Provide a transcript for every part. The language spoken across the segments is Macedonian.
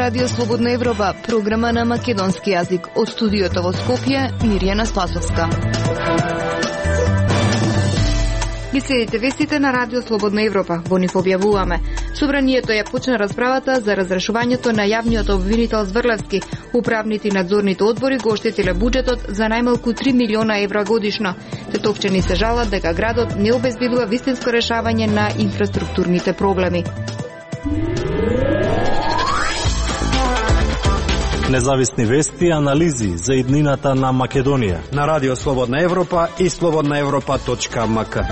Радио Слободна Европа, програма на македонски јазик. Од студиото во Скопје, Мирјана Спасовска. Ги следите вестите на Радио Слободна Европа. Во нив објавуваме. Собранието ја почна расправата за разрешувањето на јавниот обвинител Зврлевски. Управните и надзорните одбори го оштетиле буџетот за најмалку 3 милиона евра годишно. Тетовчани се жалат дека градот не обезбедува вистинско решавање на инфраструктурните проблеми. Независни вести и анализи за иднината на Македонија на Радио Слободна Европа и slobodnaevropa.mk.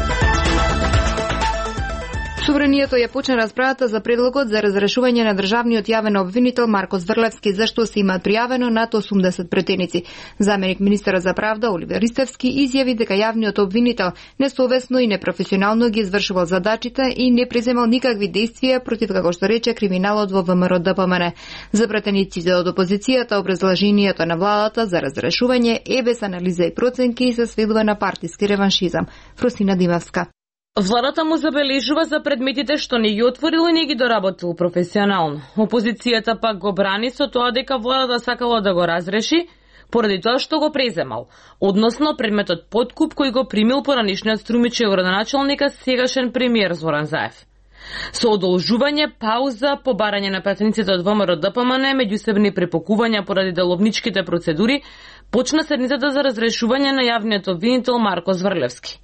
Собранието ја почна расправата за предлогот за разрешување на државниот јавен обвинител Марко Зврлевски, зашто се имаат пријавено над 80 претеници. Заменик министерот за правда Оливер Ристевски изјави дека јавниот обвинител несовесно и непрофесионално ги извршувал задачите и не преземал никакви действија против, како што рече, криминалот во ВМРО-ДПМН. За претениците од опозицијата образложението на владата за разрешување е без анализа и проценки и се сведува на партиски реваншизам. Фросина Димавска. Владата му забележува за предметите што не ги отворил и не ги доработил професионално. Опозицијата пак го брани со тоа дека владата сакала да го разреши поради тоа што го преземал, односно предметот подкуп кој го примил поранишниот струмичев градоначалника сегашен премиер Зоран Заев. Со одолжување, пауза, побарање на пратениците од ВМРО-ДПМН, меѓусебни препокувања поради деловничките процедури, почна седницата за разрешување на јавниот обвинител Марко Зврлевски.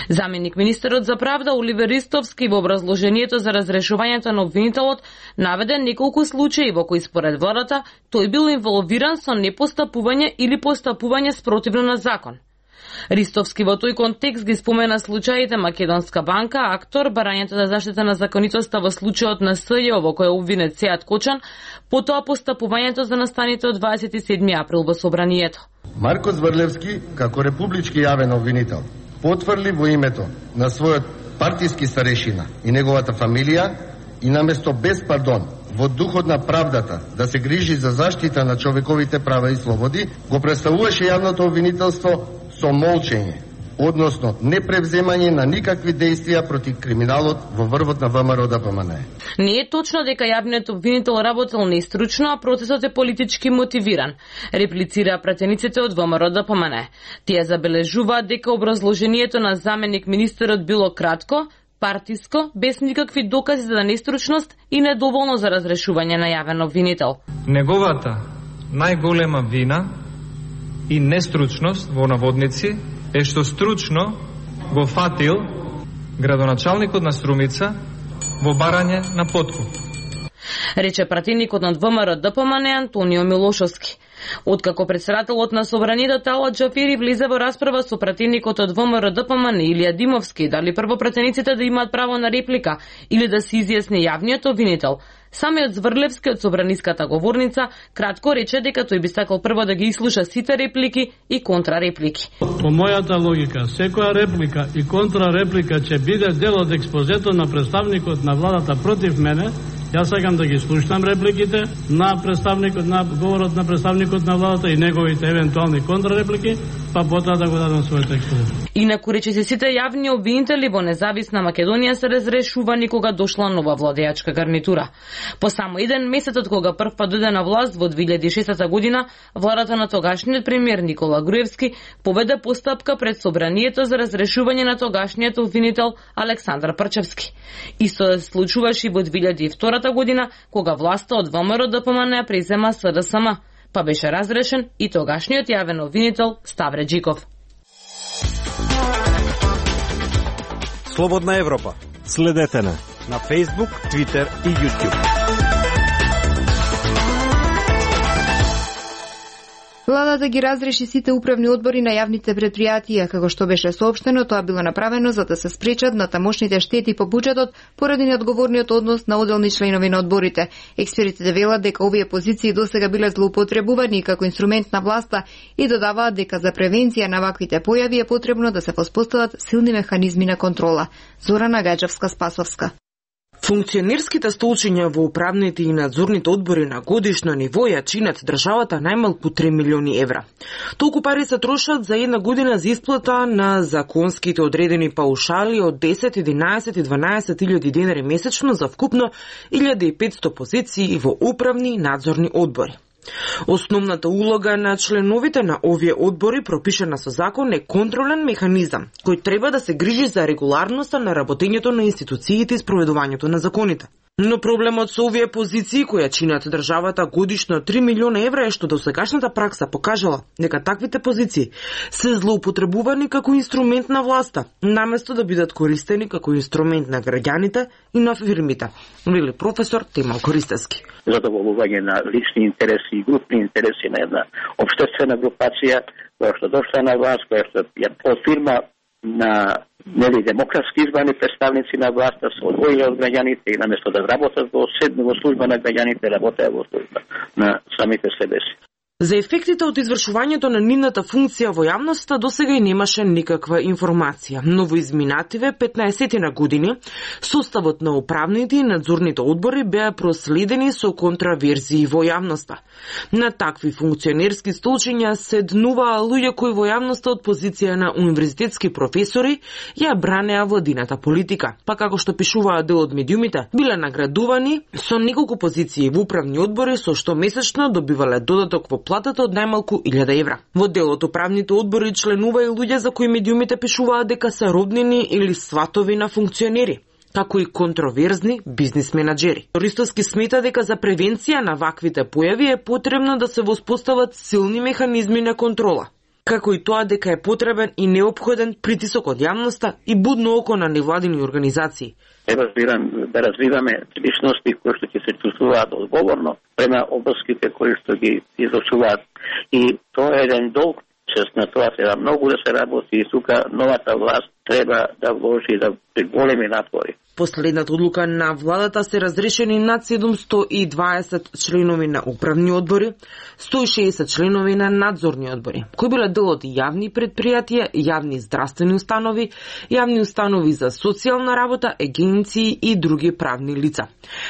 Заменик министерот за правда Оливер Ристовски во образложението за разрешувањето на обвинителот наведе неколку случаи во кои според владата тој бил инволвиран со непостапување или постапување спротивно на закон. Ристовски во тој контекст ги спомена случаите Македонска банка, Актор, барањето за заштита на законитоста во случајот на СЈО во кој е обвинет Сеат Кочан, потоа постапувањето за настаните од 27 април во собранието. Марко Зврлевски, како републички јавен обвинител, потврди во името на својот партиски старешина и неговата фамилија и наместо без пардон во духот на правдата да се грижи за заштита на човековите права и слободи, го представуваше јавното обвинителство со молчење, односно непревземање на никакви действија против криминалот во врвот на ВМРО-ДПМН. Не е точно дека јавниот обвинител работел нестручно, а процесот е политички мотивиран, реплицира пратениците од ВМРО-ДПМН. Тие забележуваат дека образложението на заменик министерот било кратко, партиско, без никакви докази за нестручност и недоволно за разрешување на јавен обвинител. Неговата најголема вина и нестручност во наводници е што стручно го фатил градоначалникот на Струмица во барање на подкуп. Рече пратеникот на ВМРО-ДПМН Антонио Милошовски. Откако председателот на собранието Талат Џафери влезе во расправа со пратеникот од ВМРО-ДПМН Илија Димовски, дали прво пратениците да имаат право на реплика или да се изјасни јавниот обвинител, самиот Зврлевски од собраниската говорница кратко рече дека тој би сакал прво да ги изслуша сите реплики и контрареплики. По мојата логика, секоја реплика и контрареплика ќе биде дел од експозето на представникот на владата против мене. Јас сакам да ги слушам репликите на представникот на говорот на представникот на владата и неговите евентуални контрареплики, па потоа да го дадам својот експозит. Инаку рече се сите јавни обвинители во независна Македонија се разрешувани кога дошла нова владеачка гарнитура. По само еден месец од кога првпат дојде на власт во 2006 година, владата на тогашниот премиер Никола Груевски поведе постапка пред собранието за разрешување на тогашниот обвинител Александар Прчевски. Исто се случуваше и во 2002 година, кога власта од ВМРО-ДПМН презема СДСМ, па беше разрешен и тогашниот јавен обвинител Ставре Джиков. Слободна Европа. Следете на Facebook, Twitter и YouTube. Владата ги разреши сите управни одбори на јавните предпријатија, како што беше соопштено, тоа било направено за да се спречат на тамошните штети по буџетот поради неодговорниот однос на одделни членови на одборите. Експертите велат дека овие позиции досега биле злоупотребувани како инструмент на власта и додаваат дека за превенција на ваквите појави е потребно да се воспостават силни механизми на контрола. Зорана Гаџевска-Спасовска. Функционерските столчиња во управните и надзорните одбори на годишно ниво ја чинат државата најмалку 3 милиони евра. Толку пари се трошат за една година за исплата на законските одредени паушали од 10, 11 и 12 илјади денари месечно за вкупно 1500 позиции во управни и надзорни одбори. Основната улога на членовите на овие одбори, пропишана со закон, е контролен механизам кој треба да се грижи за регуларноста на работењето на институциите и спроведувањето на законите. Но проблемот со овие позиции кои ја чинат државата годишно 3 милиона евра е што досегашната пракса покажала дека таквите позиции се злоупотребувани како инструмент на власта, наместо да бидат користени како инструмент на граѓаните и на фирмите, вели професор Темал Користевски. Задоволување на лични интереси и групни интереси на една општествена групација која што дошла на власт, која што ја фирма на демократски избрани представници на власта се одвоили од граѓаните и наместо да работат во служба на граѓаните, работеа во служба на самите себе си. За ефектите од извршувањето на нивната функција во јавноста досега и немаше никаква информација, но во изминативе 15 на години составот на управните и надзорните одбори беа проследени со контраверзии во јавноста. На такви функционерски столчиња седнуваа луѓе кои во јавноста од позиција на универзитетски професори ја бранеа владината политика, па како што пишуваа дел од медиумите, биле наградувани со неколку позиции во управни одбори со што месечно добивале додаток во платата од најмалку 1000 евра. Во дел од управните одбори членува и луѓе за кои медиумите пишуваат дека се роднини или сватови на функционери, како и контроверзни бизнис менаџери. Користовски смета дека за превенција на ваквите појави е потребно да се воспостават силни механизми на контрола, како и тоа дека е потребен и неопходен притисок од јавноста и будно око на невладини организации. Да развиваме личности кои што ќе се чувствуваат одговорно према обврските кои што ги извршуваат. И тоа е еден долг, чест на тоа треба многу да се работи и сука новата власт треба да вложи да големи напори. Последната одлука на владата се разрешени над 720 членови на управни одбори, 160 членови на надзорни одбори, кои биле дел од јавни предпријатија, јавни здравствени установи, јавни установи за социјална работа, агенции и други правни лица.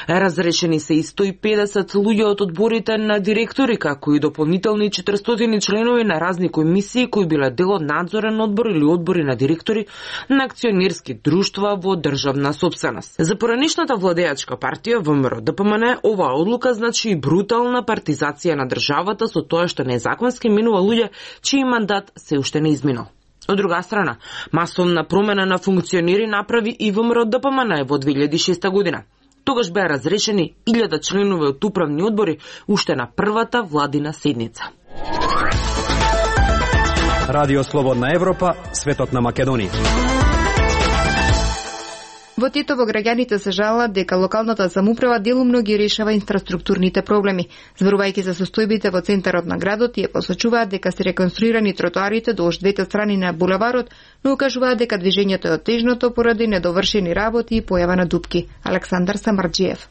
Разрешени се и 150 луѓе од одборите на директори, како и дополнителни 400 членови на разни комисии кои биле дел од надзорен одбор или одбори на директори на акционерски друштва во државна собственост. За поранешната владеачка партија ВМРО-ДПМН оваа одлука значи и брутална партизација на државата со тоа што незаконски минува луѓе чиј мандат се уште не изминал. Од друга страна, масовна промена на функционери направи и ВМРО-ДПМН во 2006 година. Тогаш беа разрешени 1000 членови од управни одбори уште на првата владина седница. Радио Слободна Европа, светот на Македонија. Во Тетово граѓаните се жалат дека локалната самоуправа делумно ги решава инфраструктурните проблеми. Зборувајќи за состојбите во центарот на градот, ја посочуваат дека се реконструирани тротоарите долж двете страни на булеварот, но укажуваат дека движењето е отежното поради недовршени работи и појава на дупки. Александар Самарџиев.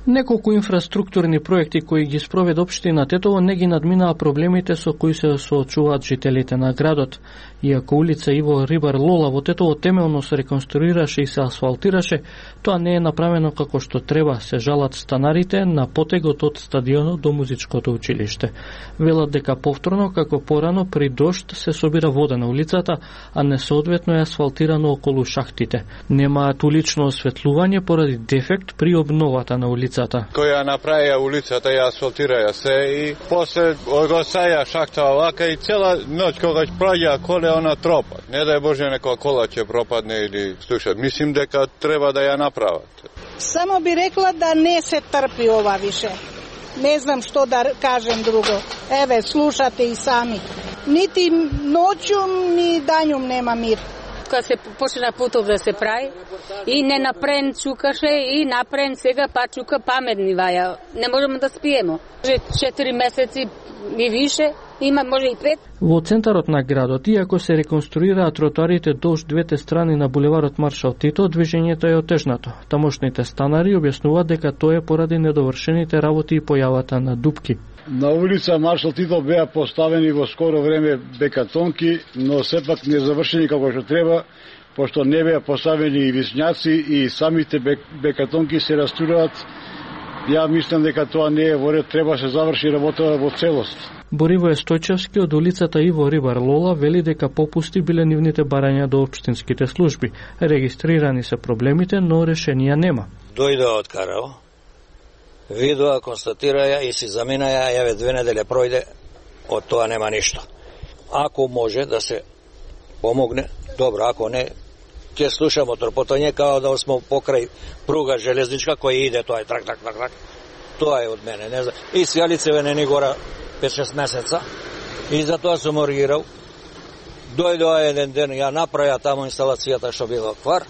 Неколку инфраструктурни проекти кои ги спроведе општина Тетово не ги надминаа проблемите со кои се соочуваат жителите на градот. Иако улица Иво Рибар Лола во Тетово темелно се реконструираше и се асфалтираше, тоа не е направено како што треба, се жалат станарите на потегот од стадионот до музичкото училиште. Велат дека повторно, како порано, при дожд се собира вода на улицата, а несоодветно е асфалтирано околу шахтите. Немаат улично осветлување поради дефект при обновата на улицата. Која направија улицата ја асфалтираја се и после го саја шахта овака и цела ноќ кога ќе проѓа коле она тропа. Не дај Боже некоја кола ќе пропадне или слуша. Мислим дека треба да ја направат. Само би рекла да не се трпи ова више. Не знам што да кажем друго. Еве, слушате и сами. Нити ноќум, ни данјум нема мир. Кога се почна путов да се прави и не напрен чукаше и напрен сега па чука паметни ваја. Не можеме да спиемо. 4 месеци и више, има може и 5. Во центарот на градот, иако се реконструираат тротоарите долж двете страни на булеварот Маршал Тито, движењето е отежнато. Тамошните станари објаснуваат дека тоа е поради недовршените работи и појавата на дупки. На улица Маршал Тито беа поставени во скоро време бекатонки, но сепак не завршени како што треба пошто не беа поставени висњаци и самите бекатонки се растураат. Ја мислам дека тоа не е во ред, треба се заврши работа во целост. Боривој Стојчевски од улицата Иво Рибар Лола вели дека попусти биле нивните барања до општинските служби. Регистрирани се проблемите, но решенија нема. Дојдоа од Карао, видоа, констатираја и си заминаја, јаве 2 недели пројде, од тоа нема ништо. Ако може да се помогне, добро, ако не, ќе слушамо тропотање као да сме покрај пруга железничка која иде, тоа е трак. Тоа е од мене, не знам. И сијалицеве не ни гора 5-6 месеца и за тоа сум оригирал. Дојдоа еден ден, ја направија таму инсталацијата што била квар,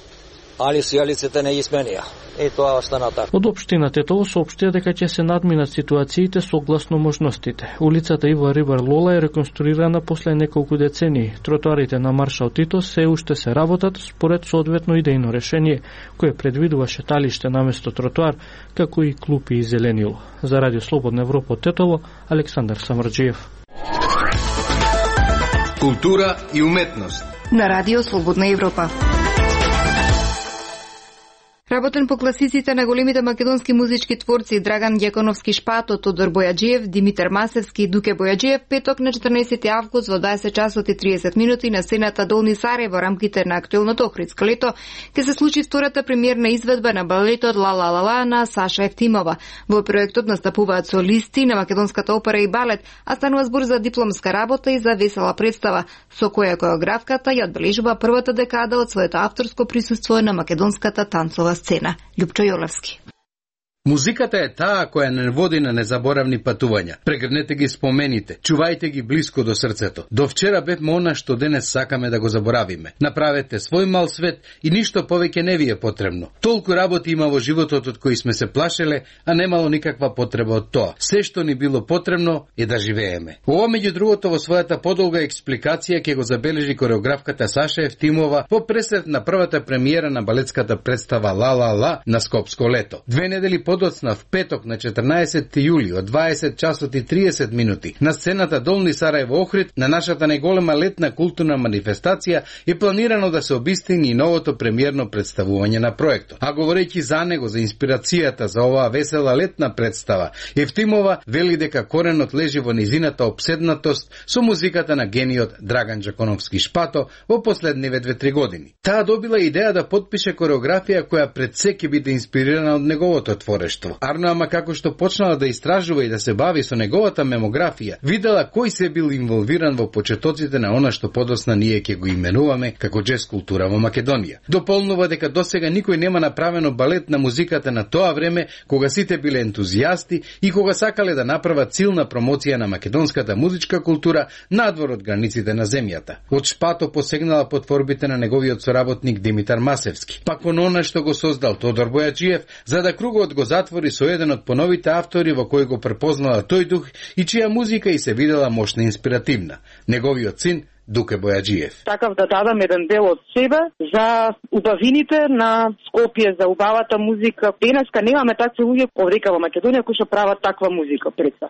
али сијалиците не ги сменија. И тоа остана така. Од општина Тетово соопштија дека ќе се надминат ситуациите согласно можностите. Улицата Иво Рибар Лола е реконструирана после неколку децении. Тротоарите на Маршал Тито се уште се работат според соодветно идејно решение, кое предвидува шеталиште наместо тротоар, како и клупи и зеленило. За Радио Слободна Европа од Тетово, Александар Самарџиев. Култура и уметност на Радио Слободна Европа. Работен по класиците на големите македонски музички творци Драган Ѓаконовски Шпато, Тодор Бојаджиев, Димитар Масевски и Дуке Бојаджиев петок на 14 август во 20 часот и 30 минути на сцената Долни Сарај во рамките на актуелното Охридско лето ќе се случи втората премиерна изведба на балетот Ла Ла Ла Ла на Саша Евтимова. Во проектот настапуваат солисти на македонската опера и балет, а станува збор за дипломска работа и за весела представа, со која коreографката ја одбележува првата декада од своето авторско присуство на македонската танцова сцена. Љупчо Јолевски. Музиката е таа која не води на незаборавни патувања. Прегрнете ги спомените, чувајте ги блиско до срцето. До вчера бевме она што денес сакаме да го заборавиме. Направете свој мал свет и ништо повеќе не ви е потребно. Толку работи има во животот од кои сме се плашеле, а немало никаква потреба од тоа. Се што ни било потребно е да живееме. Ова меѓу другото во својата подолга експликација ќе го забележи кореографката Саша Евтимова по пресред на првата премиера на балетската представа Ла Ла Ла на Скопско лето. 2 недели подоцна в петок на 14 јули од 20 часот и 30 минути на сцената Долни Сарај во Охрид на нашата најголема летна културна манифестација е планирано да се обистини и новото премиерно представување на проектот. А говорејќи за него, за инспирацијата за оваа весела летна представа, Евтимова вели дека коренот лежи во низината обседнатост со музиката на гениот Драган Ѓаконовски Шпато во последниве 2-3 години. Таа добила идеја да потпише кореографија која пред се ќе биде инспирирана од неговото творештво. Арно ама како што почнала да истражува и да се бави со неговата мемографија, видела кој се бил инволвиран во почетоците на она што подосна ние ќе го именуваме како джез култура во Македонија. Дополнува дека досега никој нема направено балет на музиката на тоа време кога сите биле ентузијасти и кога сакале да направат силна промоција на македонската музичка култура надвор од границите на земјата. Од Шпато посегнала под творбите на неговиот соработник Димитар Масевски, пак кон она што го создал Тодор Бојаджиев, за да кругот го затвори со еден од поновите автори во кој го препознала тој дух и чија музика и се видела мощна и инспиративна. Неговиот син Дуке Бојаджиев. Такав да дадам еден дел од себе за убавините на Скопје, за убавата музика. Денеска немаме такви луѓе овдека во Македонија кои што прават таква музика.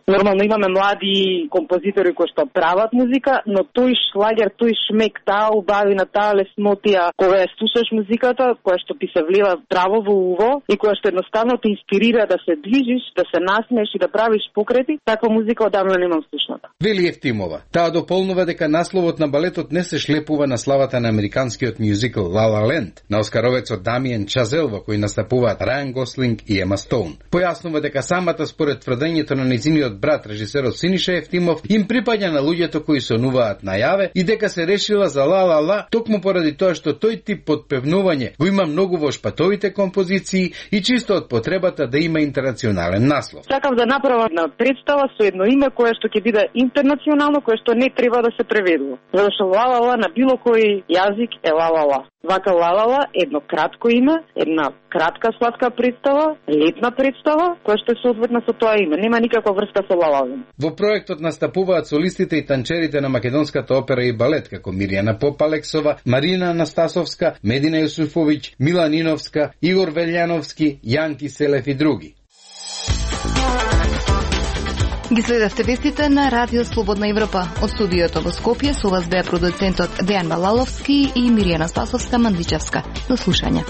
Нормално имаме млади композитори кои што прават музика, но тој шлагер, тој шмек, таа убавина, таа леснотија, кога ја слушаш музиката, која што ти се влива здраво во уво и која што едноставно те инспирира да се движиш, да се насмееш и да правиш покрети, таква музика одамна немам слушната. Вели Евтимова. Таа дополнува дека насловот на балетот не се шлепува на славата на американскиот мюзикл La La Land, на оскаровецот Дамиен Чазел во кој настапуваат Рајан Гослинг и Ема Стоун. Појаснува дека самата според тврдењето на нејзиниот брат, режисерот Синиша Евтимов, им припаѓа на луѓето кои сонуваат најаве и дека се решила за La La La токму поради тоа што тој тип подпевнување го има многу во Шпатовите композиции и чисто од потребата да има интернационален наслов. Сакав да направам на представа со едно име кое што ќе биде интернационално, кое што не треба да се преведува. Зашто ла-ла-ла на било кој јазик е ла-ла-ла. Вака ла-ла-ла едно кратко име, една кратка сладка представа, летна представа, која што е соодветна со тоа име. Нема никаква врска со ла-ла-ла. Во проектот настапуваат солистите и танчерите на македонската опера и балет, како Мирјана Попалексова, Марина Анастасовска, Медина Јусуфовиќ, Мила Ниновска, Игор Велјановски, Јанки Селев и други. Ги следевте вестите на Радио Слободна Европа. Од студиото во Скопје со вас беа продуцентот Дејан Балаловски и Миријана Спасовска Мандичевска. До слушање.